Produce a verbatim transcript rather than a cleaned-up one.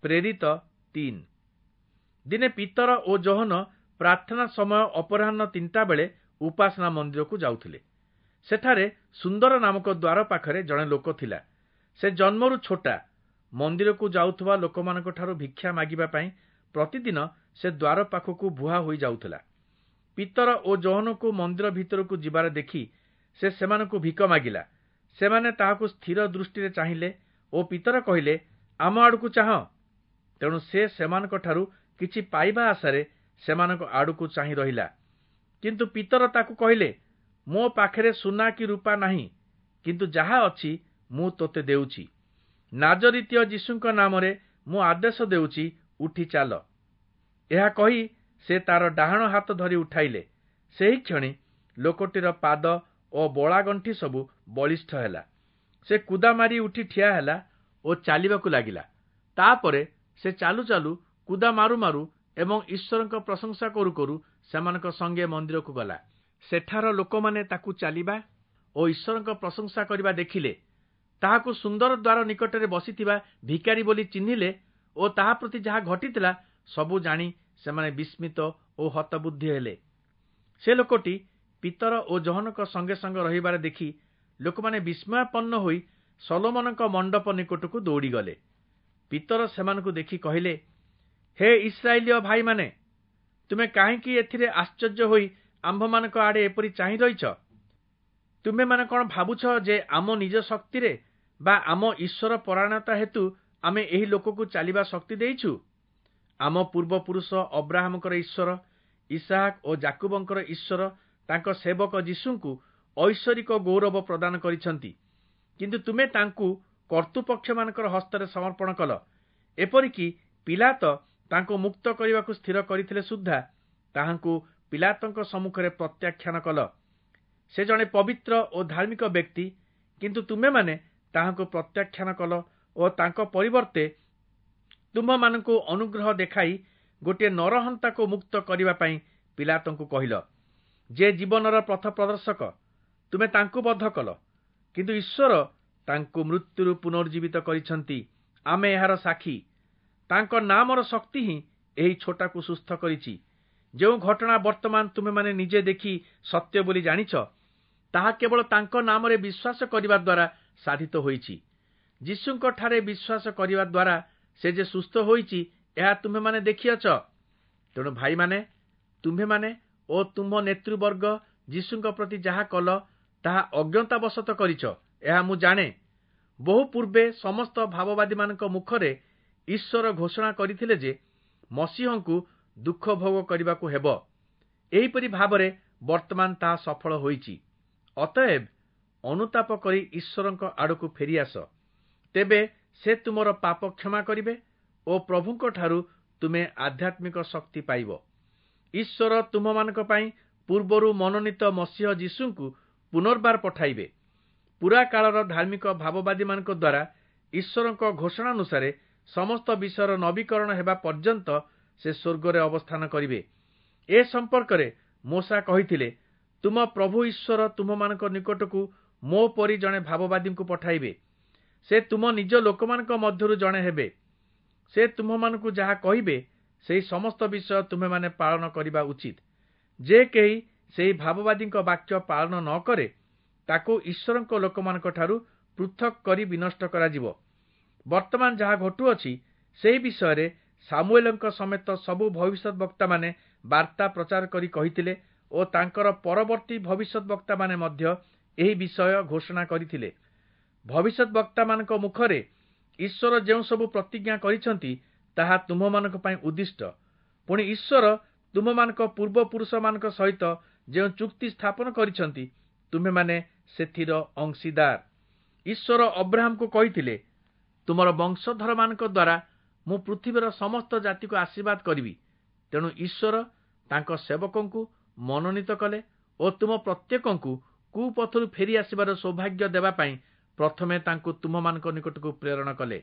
ପ୍ରେରିତ ତିନି। ଦିନେ ପିତର ଓ ଯୋହନ ପ୍ରାର୍ଥନା ସମୟ ଅପରାହ୍ନ ତିନିଟା ବେଳେ ଉପାସନା ମନ୍ଦିରକୁ ଯାଉଥିଲେ। ସେଠାରେ ସୁନ୍ଦର ନାମକ ଦ୍ୱାର ପାଖରେ ଜଣେ ଲୋକ ଥିଲା। ସେ ଜନ୍ମରୁ ଛୋଟା। ମନ୍ଦିରକୁ ଯାଉଥିବା ଲୋକମାନଙ୍କଠାରୁ ଭିକ୍ଷା ମାଗିବା ପାଇଁ ପ୍ରତିଦିନ ସେ ଦ୍ୱାର ପାଖକୁ ବୁହା ହୋଇ ଯାଉଥିଲା। ପିତର ଓ ଯୋହନଙ୍କୁ ମନ୍ଦିର ଭିତରକୁ ଯିବାର ଦେଖି ସେ ସେମାନଙ୍କୁ ଭିକ ମାଗିଲା। ସେମାନେ ତାହାକୁ ସ୍ଥିର ଦୃଷ୍ଟିରେ ଚାହିଁଲେ ଓ ପିତର କହିଲେ, ଆମ ଆଡ଼କୁ ଚାହଁ। ତେଣୁ ସେ ସେମାନଙ୍କଠାରୁ କିଛି ପାଇବା ଆଶାରେ ସେମାନଙ୍କ ଆଡ଼କୁ ଚାହିଁ ରହିଲା। କିନ୍ତୁ ପିତର ତାକୁ କହିଲେ, ମୋ ପାଖରେ ସୁନା କି ରୂପା ନାହିଁ, କିନ୍ତୁ ଯାହା ଅଛି ମୁଁ ତୋତେ ଦେଉଛି। ନାଜରିତୀୟ ଯୀଶୁଙ୍କ ନାମରେ ମୁଁ ଆଦେଶ ଦେଉଛି, ଉଠି ଚାଲ। ଏହା କହି ସେ ତାର ଡାହାଣ ହାତ ଧରି ଉଠାଇଲେ। ସେହିକ୍ଷଣି ଲୋକଟିର ପାଦ ଓ ବଳାଗଣ୍ଠି ସବୁ ବଳିଷ୍ଠ ହେଲା। ସେ କୁଦା ମାରି ଉଠି ଠିଆ ହେଲା ଓ ଚାଲିବାକୁ ଲାଗିଲା। ତାପରେ ସେ ଚାଲୁ ଚାଲୁ, କୁଦା ମାରୁ ମାରୁ ଏବଂ ଈଶ୍ୱରଙ୍କ ପ୍ରଶଂସା କରୁ କରୁ ସେମାନଙ୍କ ସଙ୍ଗେ ମନ୍ଦିରକୁ ଗଲା। ସେଠାର ଲୋକମାନେ ତାକୁ ଚାଲିବା ଓ ଈଶ୍ୱରଙ୍କ ପ୍ରଶଂସା କରିବା ଦେଖିଲେ। ତାହାକୁ ସୁନ୍ଦର ଦ୍ୱାର ନିକଟରେ ବସିଥିବା ଭିକାରୀ ବୋଲି ଚିହ୍ନିଲେ ଓ ତାହା ପ୍ରତି ଯାହା ଘଟିଥିଲା ସବୁ ଜାଣି ସେମାନେ ବିସ୍ମିତ ଓ ହତବୁଦ୍ଧି ହେଲେ। ସେ ଲୋକଟି ପିତର ଓ ଯୋହନଙ୍କ ସଙ୍ଗେ ସଙ୍ଗେ ରହିବାର ଦେଖି ଲୋକମାନେ ବିସ୍ମୟାପନ୍ନ ହୋଇ ସଲୋମନଙ୍କ ମଣ୍ଡପ ନିକଟକୁ ଦୌଡ଼ିଗଲେ। ପିତର ସେମାନଙ୍କୁ ଦେଖି କହିଲେ, ହେ ଇସ୍ରାଏଲୀୟ ଭାଇମାନେ, ତୁମେ କାହିଁକି ଏଥିରେ ଆଶ୍ଚର୍ଯ୍ୟ ହୋଇ ଆମ୍ଭମାନଙ୍କ ଆଡ଼େ ଏପରି ଚାହିଁ ରହିଛ? ତୁମେମାନେ କ'ଣ ଭାବୁଛ ଯେ ଆମ ନିଜ ଶକ୍ତିରେ ବା ଆମ ଈଶ୍ୱର ପରାୟଣତା ହେତୁ ଆମେ ଏହି ଲୋକକୁ ଚାଲିବା ଶକ୍ତି ଦେଇଛୁ? ଆମ ପୂର୍ବପୁରୁଷ ଅବ୍ରାହମଙ୍କର ଈଶ୍ୱର, ଇସାହାକ ଓ ଯାକୁବଙ୍କର ଈଶ୍ୱର ତାଙ୍କ ସେବକ ଯୀଶୁଙ୍କୁ ଐଶ୍ୱରିକ ଗୌରବ ପ୍ରଦାନ କରିଛନ୍ତି। କିନ୍ତୁ ତୁମେ ତାଙ୍କୁ କର୍ତ୍ତୃପକ୍ଷମାନଙ୍କର ହସ୍ତରେ ସମର୍ପଣ କଲ। ଏପରିକି ପିଲାତ ତାଙ୍କୁ ମୁକ୍ତ କରିବାକୁ ସ୍ଥିର କରିଥିଲେ ସୁଦ୍ଧା ତାହାଙ୍କୁ ପିଲାତଙ୍କ ସମ୍ମୁଖରେ ପ୍ରତ୍ୟାଖ୍ୟାନ କଲ। ସେ ଜଣେ ପବିତ୍ର ଓ ଧାର୍ମିକ ବ୍ୟକ୍ତି, କିନ୍ତୁ ତୁମେମାନେ ତାହାଙ୍କୁ ପ୍ରତ୍ୟାଖ୍ୟାନ କଲ ଓ ତାଙ୍କ ପରିବର୍ତ୍ତେ ତୁମ୍ଭମାନଙ୍କୁ ଅନୁଗ୍ରହ ଦେଖାଇ ଗୋଟିଏ ନରହନ୍ତାକୁ ମୁକ୍ତ କରିବା ପାଇଁ ପିଲାତଙ୍କୁ କହିଲ। ଯେ ଜୀବନର ପଥ ପ୍ରଦର୍ଶକ, ତୁମେ ତାଙ୍କୁ ବଧ କଲ, କିନ୍ତୁ ଈଶ୍ୱର ତାଙ୍କୁ ମୃତ୍ୟୁରୁ ପୁନର୍ଜୀବିତ କରିଛନ୍ତି। ଆମେ ଏହାର ସାକ୍ଷୀ। ତାଙ୍କ ନାମର ଶକ୍ତି ହିଁ ଏହି ଛୋଟାକୁ ସୁସ୍ଥ କରିଛି। ଯେଉଁ ଘଟଣା ବର୍ତ୍ତମାନ ତୁମେମାନେ ନିଜେ ଦେଖି ସତ୍ୟ ବୋଲି ଜାଣିଛ, ତାହା କେବଳ ତାଙ୍କ ନାମରେ ବିଶ୍ୱାସ କରିବା ଦ୍ୱାରା ସାଧିତ ହୋଇଛି। ଯୀଶୁଙ୍କଠାରେ ବିଶ୍ୱାସ କରିବା ଦ୍ୱାରା ସେ ଯେ ସୁସ୍ଥ ହୋଇଛି, ଏହା ତୁମ୍ଭେମାନେ ଦେଖିଅଛ। ତେଣୁ ଭାଇମାନେ, ତୁମ୍ଭେମାନେ ଓ ତୁମ୍ଭ ନେତୃବର୍ଗ ଯୀଶୁଙ୍କ ପ୍ରତି ଯାହା କଲ, ତାହା ଅଜ୍ଞତାବଶତଃ କରିଛ, ଏହା ମୁଁ ଜାଣେ। ବହୁ ପୂର୍ବେ ସମସ୍ତ ଭାବବାଦୀମାନଙ୍କ ମୁଖରେ ଈଶ୍ୱର ଘୋଷଣା କରିଥିଲେ ଯେ ମସିହଙ୍କୁ ଦୁଃଖ ଭୋଗ କରିବାକୁ ହେବ। ଏହିପରି ଭାବରେ ବର୍ତ୍ତମାନ ତାହା ସଫଳ ହୋଇଛି। ଅତଏବ ଅନୁତାପ କରି ଈଶ୍ୱରଙ୍କ ଆଡ଼କୁ ଫେରିଆସ, ତେବେ ସେ ତୁମର ପାପ କ୍ଷମା କରିବେ ଓ ପ୍ରଭୁଙ୍କଠାରୁ ତୁମେ ଆଧ୍ୟାତ୍ମିକ ଶକ୍ତି ପାଇବ। ଈଶ୍ୱର ତୁମମାନଙ୍କ ପାଇଁ ପୂର୍ବରୁ ମନୋନୀତ ମସିହ ଯୀଶୁଙ୍କୁ ପୁନର୍ବାର ପଠାଇବେ। ପୁରା କାଳର ଧାର୍ମିକ ଭାବବାଦୀମାନଙ୍କ ଦ୍ୱାରା ଈଶ୍ୱରଙ୍କ ଘୋଷଣାନୁସାରେ ସମସ୍ତ ବିଷୟର ନବୀକରଣ ହେବା ପର୍ଯ୍ୟନ୍ତ ସେ ସ୍ୱର୍ଗରେ ଅବସ୍ଥାନ କରିବେ। ଏ ସମ୍ପର୍କରେ ମୋଶା କହିଥିଲେ, ତୁମ ପ୍ରଭୁ ଈଶ୍ୱର ତୁମମାନଙ୍କ ନିକଟକୁ ମୋ ପରି ଜଣେ ଭାବବାଦୀଙ୍କୁ ପଠାଇବେ। ସେ ତୁମ ନିଜ ଲୋକମାନଙ୍କ ମଧ୍ୟରୁ ଜଣେ ହେବେ। ସେ ତୁମ୍ଭମାନଙ୍କୁ ଯାହା କହିବେ, ସେହି ସମସ୍ତ ବିଷୟ ତୁମେମାନେ ପାଳନ କରିବା ଉଚିତ। ଯେ କେହି ସେହି ଭାବବାଦୀଙ୍କ ବାକ୍ୟ ପାଳନ ନ କରେ, ତାକୁ ଈଶ୍ୱରଙ୍କ ଲୋକମାନଙ୍କଠାରୁ ପୃଥକ କରି ବିନଷ୍ଟ କରାଯିବ। ବର୍ତ୍ତମାନ ଯାହା ଘଟୁଅଛି, ସେହି ବିଷୟରେ ସାମୁଏଲଙ୍କ ସମେତ ସବୁ ଭବିଷ୍ୟତ ବକ୍ତାମାନେ ବାର୍ତ୍ତା ପ୍ରଚାର କରି କହିଥିଲେ ଓ ତାଙ୍କର ପରବର୍ତ୍ତୀ ଭବିଷ୍ୟତ ବକ୍ତାମାନେ ମଧ୍ୟ ଏହି ବିଷୟ ଘୋଷଣା କରିଥିଲେ। ଭବିଷ୍ୟତ ବକ୍ତାମାନଙ୍କ ମୁଖରେ ଈଶ୍ୱର ଯେଉଁ ସବୁ ପ୍ରତିଜ୍ଞା କରିଛନ୍ତି, ତାହା ତୁମ୍ଭମାନଙ୍କ ପାଇଁ ଉଦ୍ଦିଷ୍ଟ। ପୁଣି ଈଶ୍ୱର ତୁମ୍ଭମାନଙ୍କ ପୂର୍ବପୁରୁଷମାନଙ୍କ ସହିତ ଯେଉଁ ଚୁକ୍ତି ସ୍ଥାପନ କରିଛନ୍ତି, ତୁମ୍ଭେମାନେ ସେଥିର ଅଂଶୀଦାର। ଈଶ୍ୱର ଅବ୍ରାହମକୁ କହିଥିଲେ, ତୁମର ବଂଶଧରମାନଙ୍କ ଦ୍ୱାରା ମୁଁ ପୃଥିବୀର ସମସ୍ତ ଜାତିକୁ ଆଶୀର୍ବାଦ କରିବି। ତେଣୁ ଈଶ୍ୱର ତାଙ୍କ ସେବକଙ୍କୁ ମନୋନୀତ କଲେ ଓ ତୁମ ପ୍ରତ୍ୟେକଙ୍କୁ କୁପଥରୁ ଫେରି ଆସିବାର ସୌଭାଗ୍ୟ ଦେବା ପାଇଁ ପ୍ରଥମେ ତାଙ୍କୁ ତୁମମାନଙ୍କ ନିକଟକୁ ପ୍ରେରଣ କଲେ।